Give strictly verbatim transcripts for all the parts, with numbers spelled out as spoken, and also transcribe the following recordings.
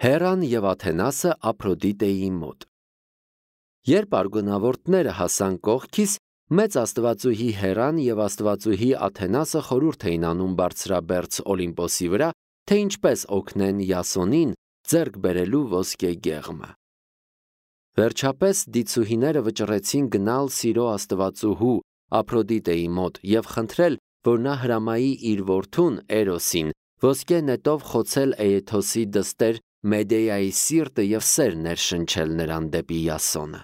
Հեռան և Աթենասը Ափրոդիտեի մոտ։ Երբ արգոնավորտները հասան կողքիս, մեծ աստվածուհի Հեռան և աստվածուհի Աթենասը խորհուրդ էին անում բարձրաբերձ Օլիմպոսի վրա, թե ինչպես օգնեն Յասոնին ձեռք բերելու ոսկե գեղմը։ Վերջապես դիցուհիները վճռեցին գնալ Սիրո աստվածուհու Ափրոդիտեի մոտ և խնդրել, որ նա հրամայի իր որդուն Էրոսին ոսկե նետով խոցել Էեթոսի դստեր Մեդեայի սիրտը և սեր ներշնչել նրան դեպի Յասոնը։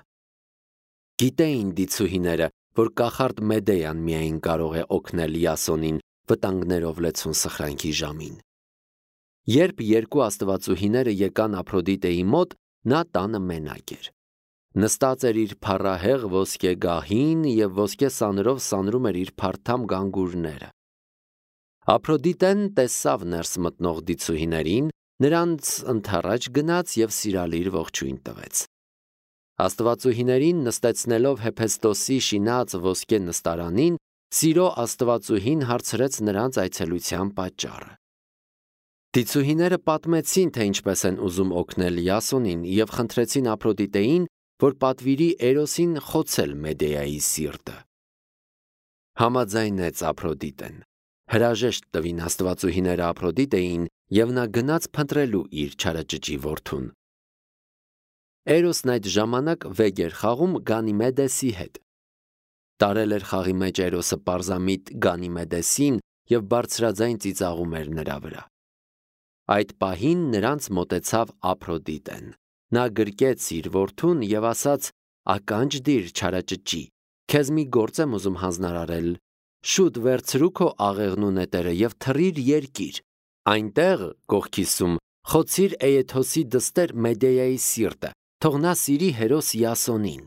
Գիտեին դիցուհիները, որ կախարդ Մեդեան միայն կարող է օգնել Յասոնին վտանգներով լեցուն սխրանքի ժամին։ Երբ երկու աստվածուհիները եկան Ափրոդիտեի մոտ, նա տանը մենակ էր։ Նստած էր իր փառահեղ ոսկե գահին և ոսկե սանրով սանրում էր իր փարթամ գանգուրները։ Ափրոդիտեն տեսավ ներս մտնող դիցուհիներին, նրանց ընդառաջ գնաց և սիրալիր ողջույն տվեց։ Աստվածուհիներին նստեցնելով Հեփեստոսի շինած ոսկե նստարանին, Սիրո աստվածուհին հարցրեց նրանց այցելության պատճառը։ Դիցուհիները պատմեցին, թե ինչպես են ուզում օգնել Յասոնին և խնդրեցին Ափրոդիտեին, որ պատվիրի Էրոսին խոցել Մեդեայի սիրտը։ Համաձայնեց Ափրոդիտեն։ Հրաժեշտ տվին աստվածուհիները Ափրոդիտեին, և նա գնաց փնտրելու իր չարաճճի որդուն։ Էրոսն այդ ժամանակ վեգ էր խաղում Գանիմեդեսի հետ։ Տարել էր խաղի մեջ Էրոսը պարզամիտ Գանիմեդեսին և բարձրաձայն ծիծաղում էր նրա վրա։ Այդ պահին նրանց մոտեցավ Ափրոդիտեն։ Նա գրկեց իր որդուն և ասաց. «Ականջ դիր, չարաճճի, քեզ մի գործ եմ ուզում հանձնարարել։ Շուտ վերցրու քո աղեղն ու նետերը և թռիր երկիր։ Այնտեղ, կողքիսում, խոցիր Էեթոսի դստեր Մեդեայի սիրտը, թող նա սիրի հերոս Յասոնին։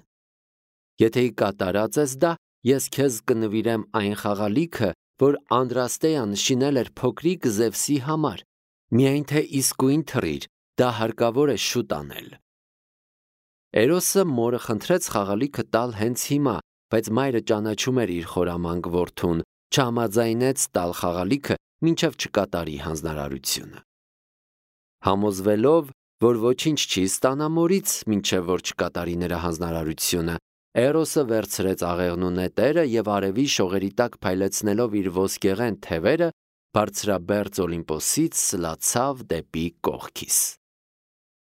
Եթե կատարած ես դա, ես քեզ կնվիրեմ այն խաղալիքը, որ Անդրաստեան շինել էր փոքրիկ Զևսի համար, միայն թե իսկույն թռիր, դա հարկավոր է շուտ անել»։ Էրոսը մորը խնդրեց խաղալիքը տալ հենց հիմա, բայց մայրը ճանաչում էր իր խորամանկ որդուն, չհամաձայնեց տալ խաղալիքը, մինչև չկատարի հանձնարարությունը։ Համոզվելով, որ ոչինչ չի ստանա մորից, մինչև որ չկատարի նրա հանձնարարությունը, Էրոսը վերցրեց աղեղն ու նետերը և արևի շողերի տակ փայլեցնելով իր ոսկեղեն թևերը, բարձրաբերձ Օլիմպոսից սլացավ դեպի կողքիս։